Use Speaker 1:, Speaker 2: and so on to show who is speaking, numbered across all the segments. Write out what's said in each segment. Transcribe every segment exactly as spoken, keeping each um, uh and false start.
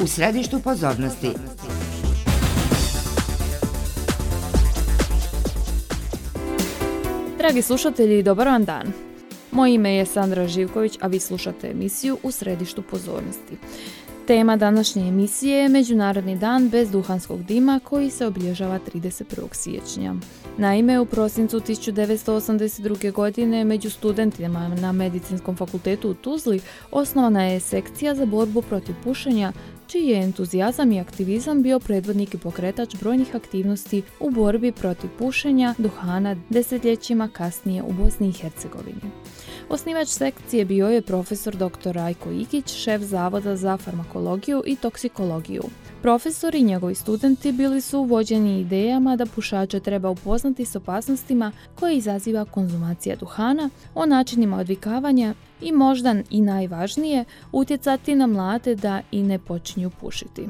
Speaker 1: u središtu pozornosti.
Speaker 2: Dragi slušatelji, dobar vam dan. Moje ime je Sandra Živković, a vi slušate emisiju U središtu pozornosti. Tema današnje emisije je Međunarodni dan bez duhanskog dima koji se obilježava trideset prvog siječnja. Naime, u prosincu tisuću devetsto osamdeset druge. godine među studentima na Medicinskom fakultetu u Tuzli osnovana je sekcija za borbu protiv pušenja, čiji je entuzijazam i aktivizam bio predvodnik i pokretač brojnih aktivnosti u borbi protiv pušenja duhana desetljećima kasnije u Bosni i Hercegovini. Osnivač sekcije bio je profesor doktor Rajko Igić, šef Zavoda za farmakologiju i toksikologiju. Profesor i njegovi studenti bili su vođeni idejama da pušače treba upoznati s opasnostima koje izaziva konzumacija duhana, o načinima odvikavanja i možda i najvažnije, utjecati na mlade da i ne počinju pušiti.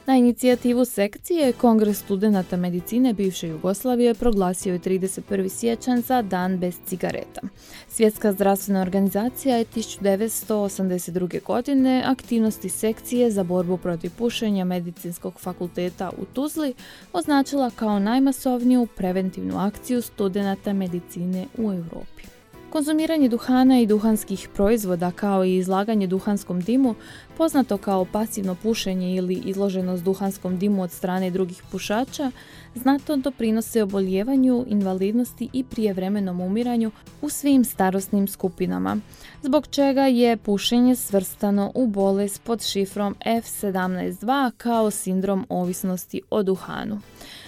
Speaker 2: Na inicijativu sekcije, Kongres studenata medicine bivše Jugoslavije proglasio je trideset prvi siječanj za dan bez cigareta. Svjetska zdravstvena organizacija je tisuću devetsto osamdeset druge. godine aktivnosti sekcije za borbu protiv pušenja Medicinskog fakulteta u Tuzli označila kao najmasovniju preventivnu akciju studenata medicine u Europi. Konzumiranje duhana i duhanskih proizvoda kao i izlaganje duhanskom dimu, poznato kao pasivno pušenje ili izloženost duhanskom dimu od strane drugih pušača, znatno doprinose oboljevanju, invalidnosti i prijevremenom umiranju u svim starosnim skupinama, zbog čega je pušenje svrstano u bolest pod šifrom F sedamnaest dva kao sindrom ovisnosti o duhanu.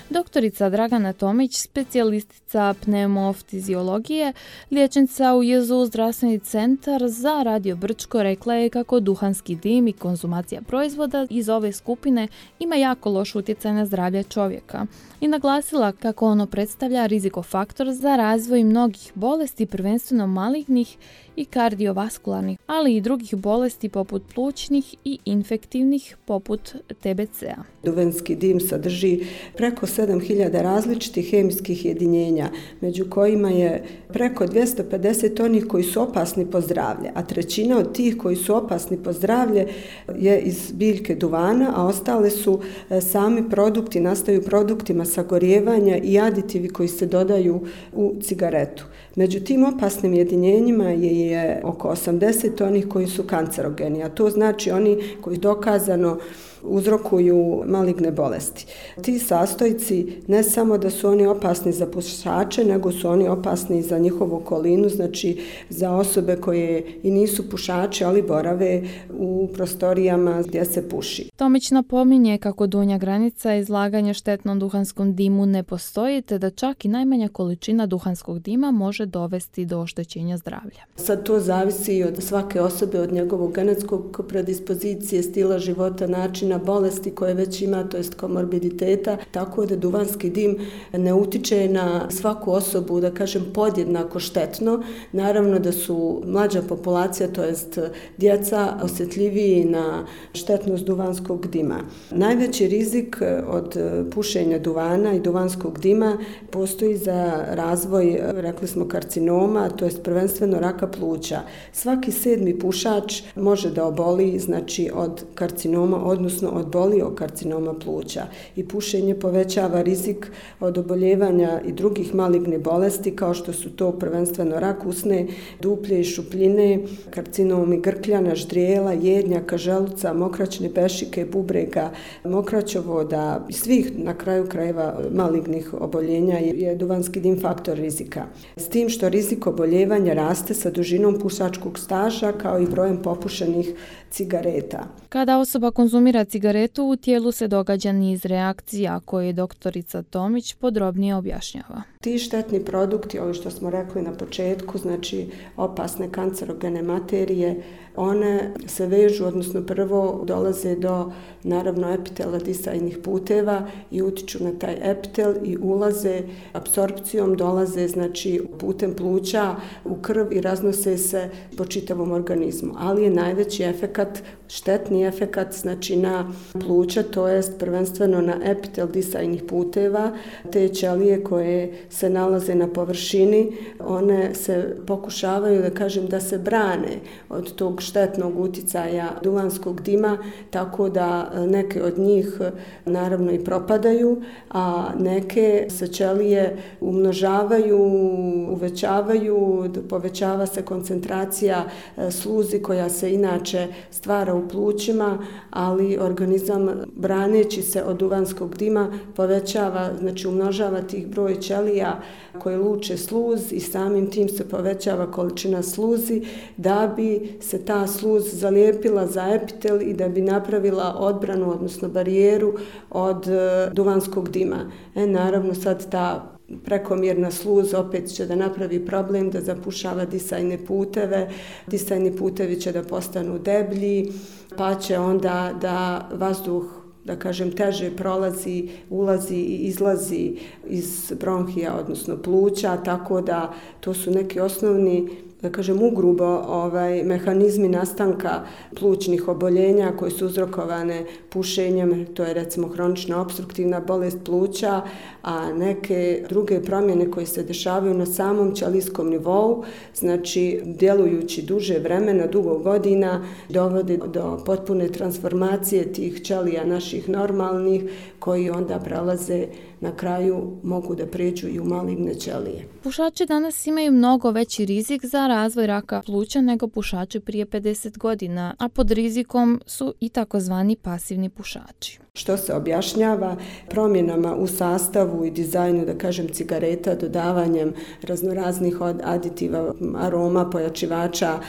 Speaker 2: Doktorica Dragana Tomić, specijalistica pneumofiziologije, liječnica u J Z U zdravstveni centar za Radio Brčko, rekla je kako duhanski dim i konzumacija proizvoda iz ove skupine ima jako loš utjecaj na zdravlje čovjeka i naglasila kako ono predstavlja rizikofaktor za razvoj mnogih bolesti, prvenstveno malignih i kardiovaskularnih, ali i drugih bolesti poput plućnih i infektivnih poput T B C-a.
Speaker 3: Duhanski dim sadrži preko sedam hiljada različitih hemijskih jedinjenja, među kojima je preko dvjesto pedeset onih koji su opasni po zdravlje, a trećina od tih koji su opasni po zdravlje je iz biljke duvana, a ostale su sami produkti, nastaju produktima sagorijevanja i aditivi koji se dodaju u cigaretu. Među tim opasnim jedinjenjima je, je oko osamdeset onih koji su kancerogeni, a to znači oni koji dokazano uzrokuju maligne bolesti. Ti sastojci ne samo da su oni opasni za pušače, nego su oni opasni za njihovu okolinu, znači za osobe koje i nisu pušači, ali borave u prostorijama gdje se puši.
Speaker 2: Tomić napominje kako donja granica izlaganja štetnom duhanskom dimu ne postoji, te da čak i najmanja količina duhanskog dima može dovesti do oštećenja zdravlja.
Speaker 3: Sad to zavisi od svake osobe, od njegovog genetskog predispozicije, stila života, načina bolesti koje već ima, to jest komorbiditeta, tako da duhanski dim ne utiče na svaku osobu, da kažem, podjednako štetno. Naravno da su mlađa populacija, to jest djeca, osjetljiviji na štetnost duhanskog dima. Najveći rizik od pušenja duvana i duhanskog dima postoji za razvoj, rekli smo, karcinoma, to jest prvenstveno raka pluća. Svaki sedmi pušač može da oboli, znači, od karcinoma, odnosno od boliokarcinoma pluća, i pušenje povećava rizik od oboljevanja i drugih malignih bolesti kao što su to prvenstveno rak usne, duplje i šupljine, karcinomi grkljana, ždrijela, jednjaka, želuca, mokraćne pešike, bubrega, mokraćovoda i svih na kraju krajeva malignih oboljenja je duhanski dim faktor rizika. S tim što rizik oboljevanja raste sa dužinom pušačkog staža kao i brojem popušenih cigareta.
Speaker 2: Kada osoba konzumira cigaretu, u tijelu se događa niz reakcija koje doktorica Tomić podrobnije objašnjava.
Speaker 3: Ti štetni produkti, ovo što smo rekli na početku, znači opasne kancerogene materije, one se vežu, odnosno prvo dolaze do, naravno, epitela disajnih puteva i utiču na taj epitel i ulaze apsorpcijom, dolaze, znači, putem pluća u krv i raznose se po čitavom organizmu. Ali je najveći efekat, štetni efekat, znači na pluća, to jest prvenstveno na epitel disajnih puteva, te ćelije koje se nalaze na površini, one se pokušavaju, da kažem, da se brane od tog štetnog uticaja duvanskog dima, tako da neke od njih naravno i propadaju, a neke se ćelije umnožavaju, uvećavaju, povećava se koncentracija sluzi koja se inače stvara u plućima, ali organizam braneći se od duvanskog dima povećava, znači umnožava tih broj ćelija koje luče sluz i samim tim se povećava količina sluzi da bi se ta sluz zalijepila za epitel i da bi napravila odbranu, odnosno barijeru od duvanskog dima. E, naravno sad ta prekomjerna sluz opet će da napravi problem, da zapušava disajne puteve, disajni putevi će da postanu deblji, pa će onda da vazduh, da kažem, teže prolazi, ulazi i izlazi iz bronhija, odnosno pluća, tako da to su neki osnovni, da kažem, ugrubo ovaj, mehanizmi nastanka plućnih oboljenja koje su uzrokovane pušenjem, to je recimo hronična opstruktivna bolest pluća, a neke druge promjene koje se dešavaju na samom ćelijskom nivou, znači djelujući duže vremena, dugo godina, dovode do potpune transformacije tih ćelija naših normalnih, koji onda prelaze na kraju, mogu da pređu i u maligne ćelije.
Speaker 2: Pušači danas imaju mnogo veći rizik za razvoj raka pluća nego pušači prije pedeset godina, a pod rizikom su i takozvani pasivni pušači.
Speaker 3: Što se objašnjava promjenama u sastavu i dizajnu, da kažem, cigareta, dodavanjem raznoraznih aditiva, aroma, pojačivača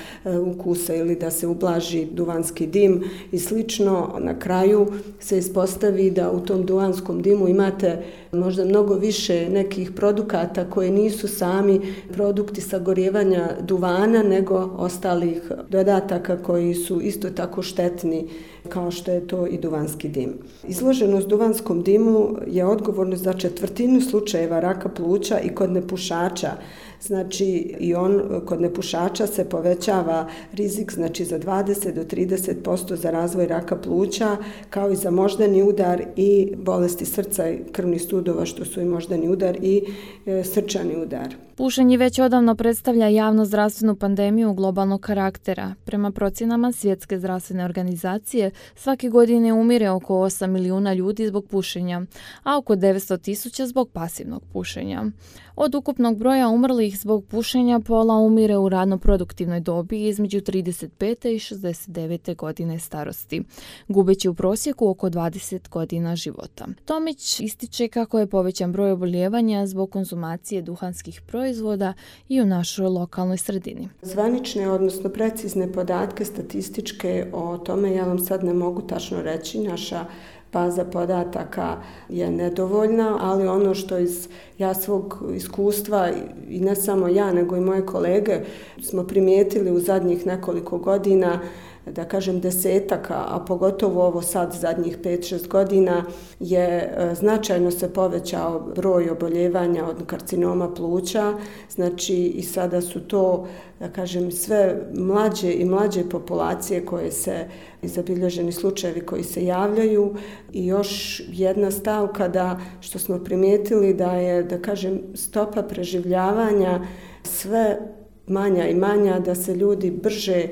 Speaker 3: ukusa ili da se ublaži duvanski dim i slično. Na kraju se ispostavi da u tom duvanskom dimu imate možda mnogo više nekih produkata koji nisu sami produkti sagorijevanja duvana, nego ostalih dodataka koji su isto tako štetni kao što je to i duvanski dim. Izloženost duvanskom dimu je odgovorna za četvrtinu slučajeva raka pluća i kod nepušača. Znači i on kod nepušača se povećava rizik, znači za dvadeset do trideset posto za razvoj raka pluća, kao i za moždani udar i bolesti srca i krvnih sudova, što su i moždani udar i e, srčani udar.
Speaker 2: Pušenje već odavno predstavlja javno-zdravstvenu pandemiju globalnog karaktera. Prema procjenama Svjetske zdravstvene organizacije, svake godine umire oko osam milijuna ljudi zbog pušenja, a oko devetsto tisuća zbog pasivnog pušenja. Od ukupnog broja umrlih zbog pušenja pola umire u radno produktivnoj dobi između trideset pete i šezdeset devete godine starosti, gubeći u prosjeku oko dvadeset godina života. Tomić ističe kako je povećan broj oboljevanja zbog konzumacije duhanskih proizvoda i u našoj lokalnoj sredini.
Speaker 3: Zvanične, odnosno precizne podatke statističke o tome ja vam sad ne mogu tačno reći. Naša baza podataka je nedovoljna, ali ono što iz ja svog iskustva, i ne samo ja, nego i moje kolege, smo primijetili u zadnjih nekoliko godina, da kažem desetaka, a pogotovo ovo sad zadnjih pet šest godina, je značajno se povećao broj oboljevanja od karcinoma pluća. Znači i sada su to, da kažem, sve mlađe i mlađe populacije koje se, zabilježeni slučajevi koji se javljaju. I još jedna stavka da, što smo primijetili, da je, da kažem, stopa preživljavanja sve manja i manja, da se ljudi brže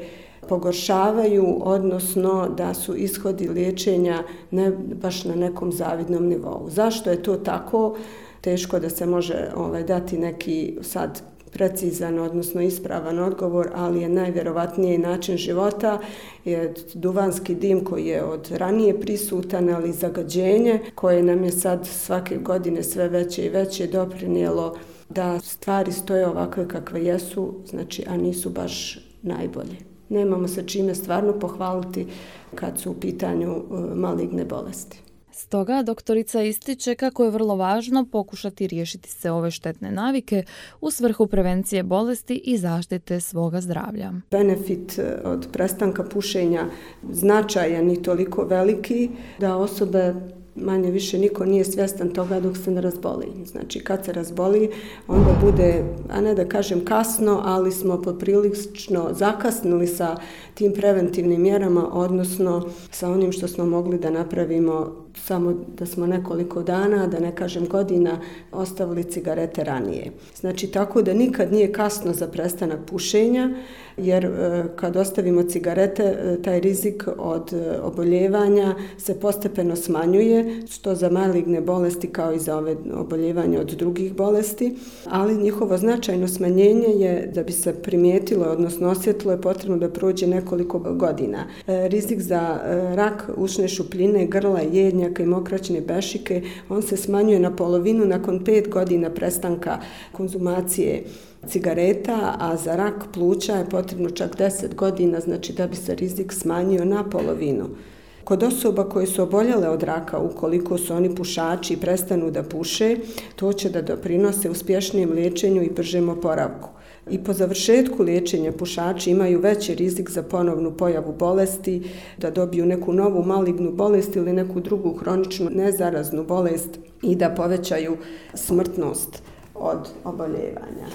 Speaker 3: pogoršavaju, odnosno da su ishodi liječenja ne baš na nekom zavidnom nivou. Zašto je to tako? Teško da se može ovaj, dati neki sad precizan, odnosno ispravan odgovor, ali je najvjerovatniji način života je duvanski dim koji je od ranije prisutan, ali zagađenje koje nam je sad svake godine sve veće i veće doprinijelo da stvari stoje ovakve kakve jesu, znači, a nisu baš najbolje. Nemamo se čime stvarno pohvaliti kad su u pitanju maligne bolesti.
Speaker 2: Stoga doktorica ističe kako je vrlo važno pokušati riješiti se ove štetne navike u svrhu prevencije bolesti i zaštite svoga zdravlja.
Speaker 3: Benefit od prestanka pušenja značajan i toliko veliki da osobe manje više niko nije svjestan toga dok se ne razboli. Znači kad se razboli, onda bude, a ne da kažem kasno, ali smo poprilično zakasnili sa tim preventivnim mjerama, odnosno sa onim što smo mogli da napravimo samo da smo nekoliko dana, da ne kažem godina, ostavili cigarete ranije. Znači tako da nikad nije kasno za prestanak pušenja, jer kad ostavimo cigarete, taj rizik od oboljevanja se postepeno smanjuje, što za maligne bolesti kao i za ove oboljevanja od drugih bolesti, ali njihovo značajno smanjenje je da bi se primijetilo, odnosno osjetilo, je potrebno da prođe nekoliko godina. Rizik za rak ušne šupljine, grla, jednjaka i mokraćne bešike, on se smanjuje na polovinu nakon pet godina prestanka konzumacije cigareta, a za rak pluća je potrebno čak deset godina, znači da bi se rizik smanjio na polovinu. Kod osoba koje su oboljele od raka, ukoliko su oni pušači i prestanu da puše, to će da doprinose uspješnijem liječenju i bržem oporavku. I po završetku liječenja pušači imaju veći rizik za ponovnu pojavu bolesti, da dobiju neku novu malignu bolest ili neku drugu hroničnu nezaraznu bolest i da povećaju smrtnost od oboljevanja.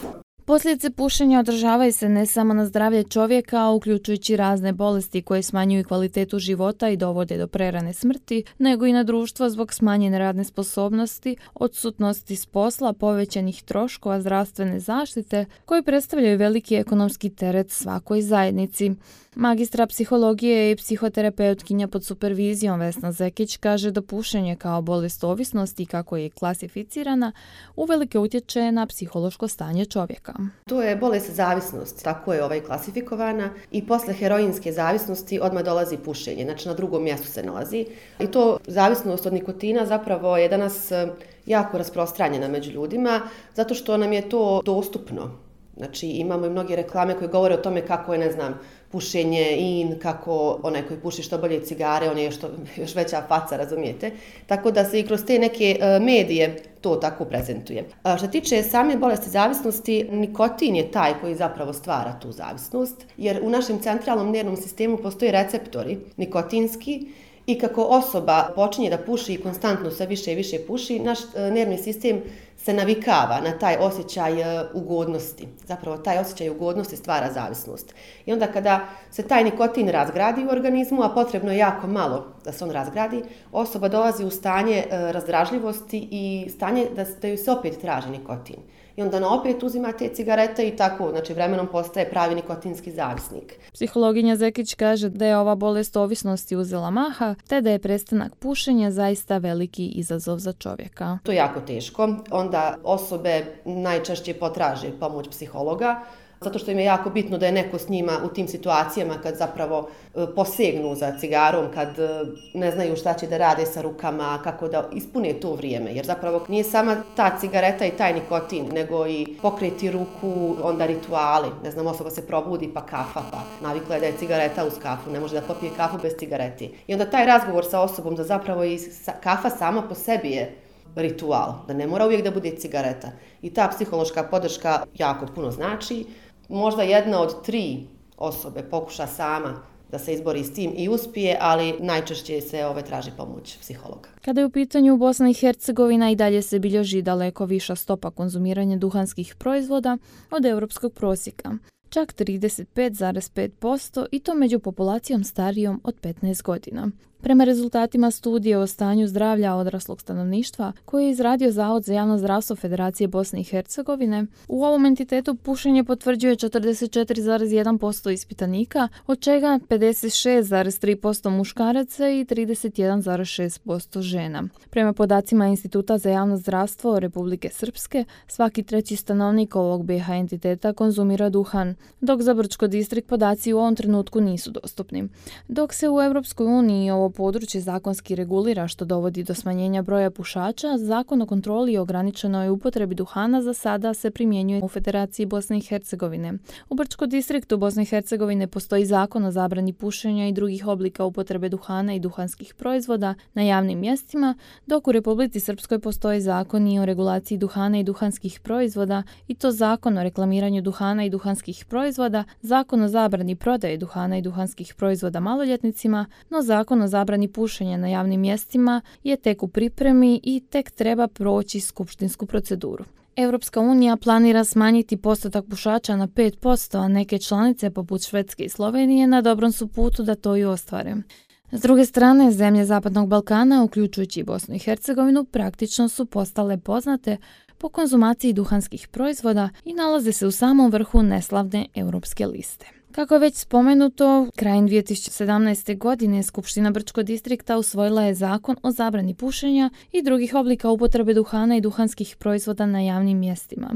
Speaker 2: Posljedice pušenja održavaju se ne samo na zdravlje čovjeka, uključujući razne bolesti koje smanjuju kvalitetu života i dovode do prerane smrti, nego i na društvo zbog smanjene radne sposobnosti, odsutnosti s posla, povećanih troškova zdravstvene zaštite, koji predstavljaju veliki ekonomski teret svakoj zajednici. Magistra psihologije i psihoterapeutkinja pod supervizijom Vesna Zekić kaže da pušenje kao bolest ovisnosti, kako je klasificirana, uvelike utječe na psihološko stanje čovjeka.
Speaker 1: To je bolest zavisnost, tako je ovaj klasifikovana, i posle heroinske zavisnosti odmah dolazi pušenje, znači na drugom mjestu se nalazi. I to zavisnost od nikotina zapravo je danas jako rasprostranjena među ljudima, zato što nam je to dostupno. Znači imamo i mnoge reklame koje govore o tome kako je, ne znam, pušenje in, kako onaj koji puši što bolje cigare, on je što, još veća faca, razumijete. Tako da se i kroz te neke uh, medije to tako prezentuje. A što tiče same bolesti zavisnosti, nikotin je taj koji zapravo stvara tu zavisnost, jer u našem centralnom nervnom sistemu postoje receptori nikotinski, i kako osoba počinje da puši i konstantno sve više i više puši, naš nervni sistem se navikava na taj osjećaj ugodnosti. Zapravo taj osjećaj ugodnosti stvara zavisnost. I onda kada se taj nikotin razgradi u organizmu, a potrebno je jako malo da se on razgradi, osoba dolazi u stanje razdražljivosti i stanje da, da ju se opet traži nikotin. I onda na opet uzima te cigarete i tako, znači vremenom postaje pravi nikotinski zavisnik.
Speaker 2: Psihologinja Zekić kaže da je ova bolest ovisnosti uzela maha, te da je prestanak pušenja zaista veliki izazov za čovjeka.
Speaker 1: To je jako teško. Onda osobe najčešće potraže pomoć psihologa, zato što im je jako bitno da je neko s njima u tim situacijama kad zapravo posegnu za cigarom, kad ne znaju šta će da rade sa rukama, kako da ispune to vrijeme. Jer zapravo nije sama ta cigareta i taj nikotin, nego i pokreti ruku, onda rituali. Ne znam, osoba se probudi pa kafa, pa navikla je da je cigareta uz kafu, ne može da popije kafu bez cigareti. I onda taj razgovor sa osobom da zapravo i kafa sama po sebi je ritual, da ne mora uvijek da bude cigareta. I ta psihološka podrška jako puno znači. Možda jedna od tri osobe pokuša sama da se izbori s tim i uspije, ali najčešće se ove traži pomoć psihologa.
Speaker 2: Kada je u pitanju Bosna i Hercegovina, i dalje se bilježi daleko viša stopa konzumiranja duhanskih proizvoda od europskog prosjeka. Čak trideset pet zarez pet posto i to među populacijom starijom od petnaest godina. Prema rezultatima studije o stanju zdravlja odraslog stanovništva koje je izradio Zavod za javno zdravstvo Federacije Bosne i Hercegovine, u ovom entitetu pušenje potvrđuje četrdeset četiri zarez jedan posto ispitanika, od čega pedeset šest zarez tri posto muškaraca i trideset jedan zarez šest posto žena. Prema podacima Instituta za javno zdravstvo Republike Srpske, svaki treći stanovnik ovog B iH entiteta konzumira duhan, dok za Brčko distrikt podaci u ovom trenutku nisu dostupni. Dok se u Europskoj uniji ovo područje zakonski regulira, što dovodi do smanjenja broja pušača, Zakon o kontroli i ograničenoj upotrebi duhana za sada se primjenjuje u Federaciji Bosne i Hercegovine. U Brčko distriktu Bosne i Hercegovine postoji Zakon o zabrani pušenja i drugih oblika upotrebe duhana i duhanskih proizvoda na javnim mjestima, dok u Republici Srpskoj postoji Zakon i o regulaciji duhana i duhanskih proizvoda, i to Zakon o reklamiranju duhana i duhanskih proizvoda, Zakon o zabrani prodaje duhana i duhanskih proizvoda maloljetnicima, no Zakon o zabrani zabrani pušenja na javnim mjestima je tek u pripremi i tek treba proći skupštinsku proceduru. Europska unija planira smanjiti postotak pušača na pet posto, a neke članice poput Švedske i Slovenije na dobrom su putu da to i ostvare. S druge strane, zemlje Zapadnog Balkana, uključujući i Bosnu i Hercegovinu, praktično su postale poznate po konzumaciji duhanskih proizvoda i nalaze se u samom vrhu neslavne europske liste. Kako je već spomenuto, krajem dvije tisuće sedamnaeste. godine Skupština Brčkog distrikta usvojila je zakon o zabrani pušenja i drugih oblika upotrebe duhana i duhanskih proizvoda na javnim mjestima.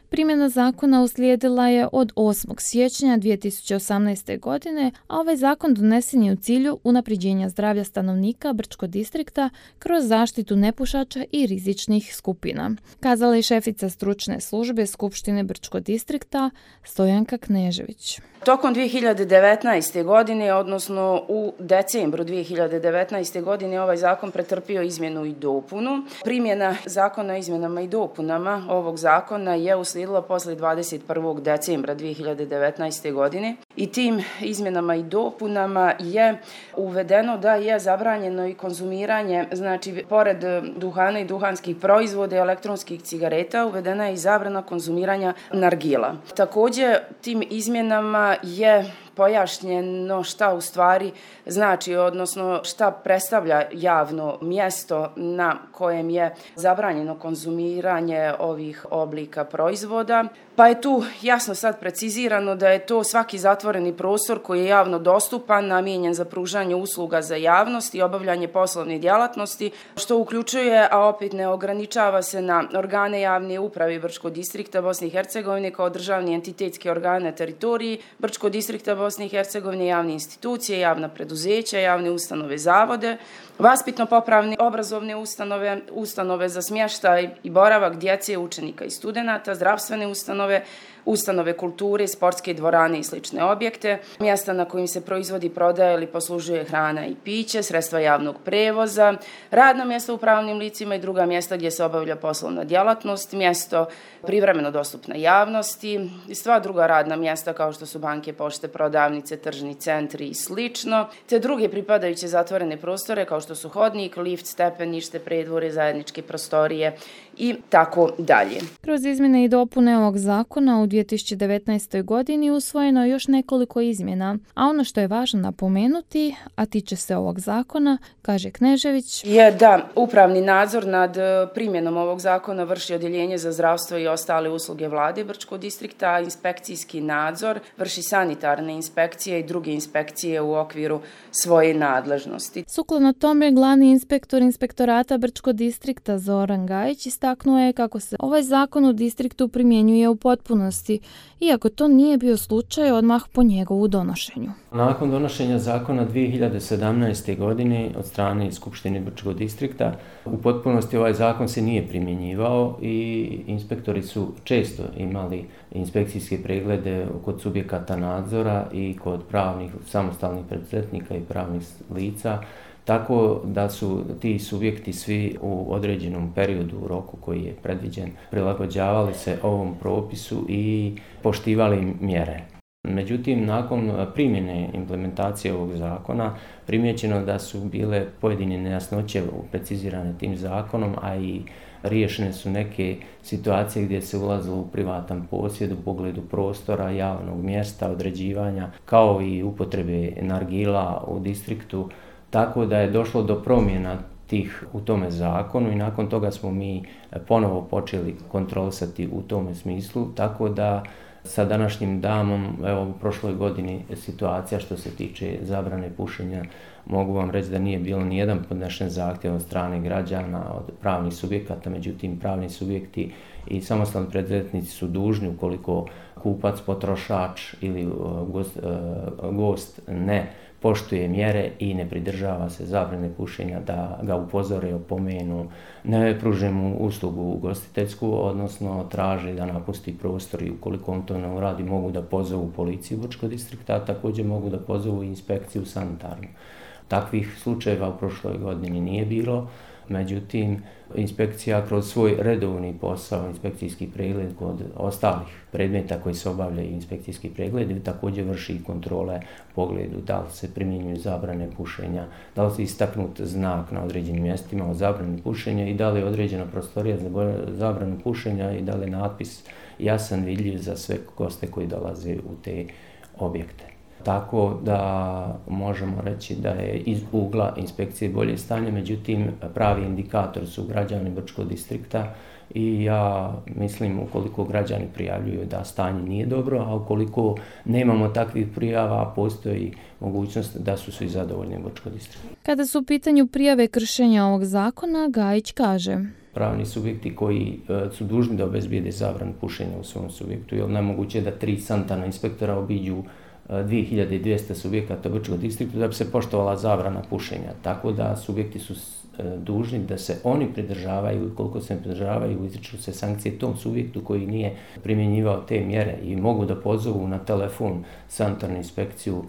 Speaker 2: Primjena zakona uslijedila je od osmog siječnja dvije tisuće osamnaeste. godine, a ovaj zakon donesen je u cilju unapređenja zdravlja stanovnika Brčkog distrikta kroz zaštitu nepušača i rizičnih skupina. Kazala je šefica stručne službe Skupštine Brčkog distrikta Stojanka Knežević.
Speaker 4: Tokom dvije hiljade devetnaeste. godine, odnosno u decembru dvije hiljade devetnaeste. godine, ovaj zakon pretrpio izmjenu i dopunu. Primjena zakona o izmjenama i dopunama ovog zakona je uslijedila posle dvadeset prvog decembra dvije hiljade devetnaeste. godine i tim izmjenama i dopunama je uvedeno da je zabranjeno i konzumiranje, znači pored duhana i duhanskih proizvoda i elektronskih cigareta, uvedena je i zabrana konzumiranja nargila. Također, tim izmjenama je pojašnjeno šta u stvari znači, odnosno šta predstavlja javno mjesto na kojem je zabranjeno konzumiranje ovih oblika proizvoda. Pa je tu jasno sad precizirano da je to svaki zatvoreni prostor koji je javno dostupan, namijenjen za pružanje usluga za javnost i obavljanje poslovne djelatnosti, što uključuje, a opet ne ograničava se na organe javne uprave Brčkog distrikta Bosne i Hercegovine kao državni entitetski organe na teritoriji Brčkog distrikta Bosne i Hercegovine, javne institucije, javna preduzeća, javne ustanove, zavode, vaspitno-popravne obrazovne ustanove, ustanove za smještaj i boravak djece, učenika i studenata, zdravstvene ustanove, ustanove kulture, sportske dvorane i slične objekte, mjesta na kojim se proizvodi, prodaje ili poslužuje hrana i piće, sredstva javnog prevoza, radna mjesta u pravnim licima i druga mjesta gdje se obavlja poslovna djelatnost, mjesto privremeno dostupna javnosti i sva druga radna mjesta kao što su banke, pošte, prodavnice, tržni centri i slično, te druge pripadajuće zatvorene prostore kao što su hodnik, lift, stepenište, predvore, zajedničke prostorije i tako dalje.
Speaker 2: Kroz izmjene i dopune ovog zakona u dvije tisuće devetnaestoj. godini usvojeno je još nekoliko izmjena, a ono što je važno napomenuti, a tiče se ovog zakona, kaže Knežević,
Speaker 4: je da upravni nadzor nad primjenom ovog zakona vrši Odjeljenje za zdravstvo i ostale usluge vlade Brčkog distrikta, a inspekcijski nadzor vrši sanitarne inspekcije i druge inspekcije u okviru svoje nadležnosti.
Speaker 2: Sukladno tome, glavni inspektor inspektorata Brčkog distrikta Zoran Gajić istaknuo je kako se ovaj zakon u distriktu primjenjuje u potpunosti, iako to nije bio slučaj odmah po njegovu donošenju.
Speaker 5: Nakon donošenja zakona dvije hiljade sedamnaeste. godine od strane Skupštine Brčkog distrikta, u potpunosti ovaj zakon se nije primjenjivao i inspektori su često imali inspekcijske preglede kod subjekata nadzora i kod pravnih samostalnih preduzetnika i pravnih lica, tako da su ti subjekti svi u određenom periodu, u roku koji je predviđen, prilagođavali se ovom propisu i poštivali mjere. Međutim, nakon primjene implementacije ovog zakona, primijećeno da su bile pojedine nejasnoće precizirane tim zakonom, a i riješene su neke situacije gdje se ulazilo u privatan posjed u pogledu prostora, javnog mjesta, određivanja, kao i upotrebe nargila u distriktu, tako da je došlo do promjena tih u tome zakonu i nakon toga smo mi ponovo počeli kontrolisati u tome smislu, tako da sa današnjim danom, evo u prošloj godini situacija što se tiče zabrane pušenja, mogu vam reći da nije bilo ni jedan podnešen zahtjev od strane građana, od pravnih subjekata, međutim pravni subjekti i samostalni preduzetnici su dužni ukoliko kupac, potrošač ili gost, gost ne poštuje mjere i ne pridržava se zabrane pušenja, da ga upozore, opomenu, ne pruže mu uslugu ugostiteljsku, odnosno traži da napusti prostor i ukoliko on to ne uradi mogu da pozovu policiju Brčkog distrikta, a također mogu da pozovu inspekciju sanitarnu. Takvih slučajeva u prošloj godini nije bilo, Međutim, inspekcija kroz svoj redovni posao, inspekcijski pregled kod ostalih predmeta koji se obavljaju inspekcijski pregled, također vrši kontrole u pogledu da li se primjenjuju zabrane pušenja, da li se istaknut znak na određenim mjestima o zabrani pušenja i da li je određena prostorija za zabranu pušenja i da li je natpis jasan, vidljiv za sve goste koji dolaze u te objekte. Tako da možemo reći da je iz ugla inspekcije bolje stanje, međutim pravi indikator su građani Brčkog distrikta i ja mislim ukoliko građani prijavljuju da stanje nije dobro, a ukoliko nemamo takvih prijava, postoji mogućnost da su svi zadovoljni u Brčkog distrikta.
Speaker 2: Kada su u pitanju prijave kršenja ovog zakona, Gajić kaže:
Speaker 5: Pravni subjekti koji e, su dužni da obezbijede zabranu pušenja u svom subjektu, jer nemoguće da tri sanitarna inspektora obiđu dvije hiljade dvjesto subjekata u Brčkom distriktu da bi se poštovala zabrana pušenja. Tako da subjekti su dužni da se oni pridržavaju i koliko se ne pridržavaju izriču se sankcije tom subjektu koji nije primjenjivao te mjere i mogu da pozovu na telefon sanitarnu inspekciju.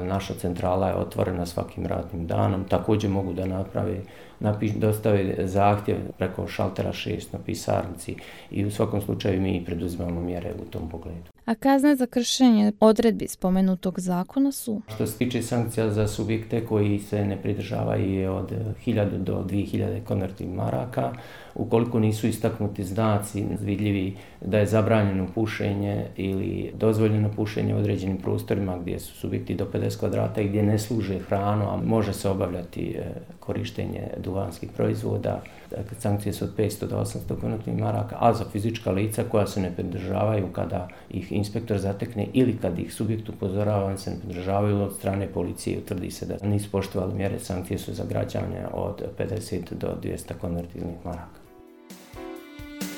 Speaker 5: Naša centrala je otvorena svakim radnim danom. Također mogu da naprave, napiš, dostave zahtjev preko šaltera šest na pisarnici i u svakom slučaju mi preduzimamo mjere u tom pogledu.
Speaker 2: A kazne za kršenje odredbi spomenutog zakona su?
Speaker 5: Što se tiče sankcija za subjekte koji se ne pridržavaju je od hiljadu do dvije hiljade konvertivnih maraka. Ukoliko nisu istaknuti znaci vidljivi da je zabranjeno pušenje ili dozvoljeno pušenje u određenim prostorima gdje su subjekti do pedeset kvadrata i gdje ne služe hranu, a može se obavljati korištenje duhanskih proizvoda, dakle, sankcije su od petsto do osamsto konvertivnih maraka, a za fizička lica koja se ne pridržavaju kada ih inspektor zatekne ili kad ih subjekt upozorava, oni se ne pridržavaju od strane policije, utvrdi se da nisu poštovali mjere, sankcije su za građane od pedeset do dvjesto konvertivnih maraka.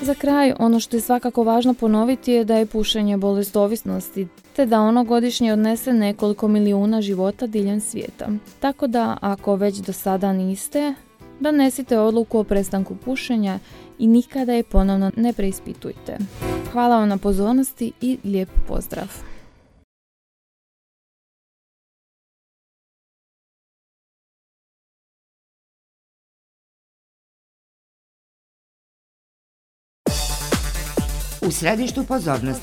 Speaker 2: Za kraj, ono što je svakako važno ponoviti je da je pušenje bolest ovisnosti, te da ono godišnje odnese nekoliko milijuna života diljem svijeta. Tako da, ako već do sada niste, donesite odluku o prestanku pušenja i nikada je ponovno ne preispitujte. Hvala vam na pozornosti i lijep pozdrav!
Speaker 6: U središtu pozornosti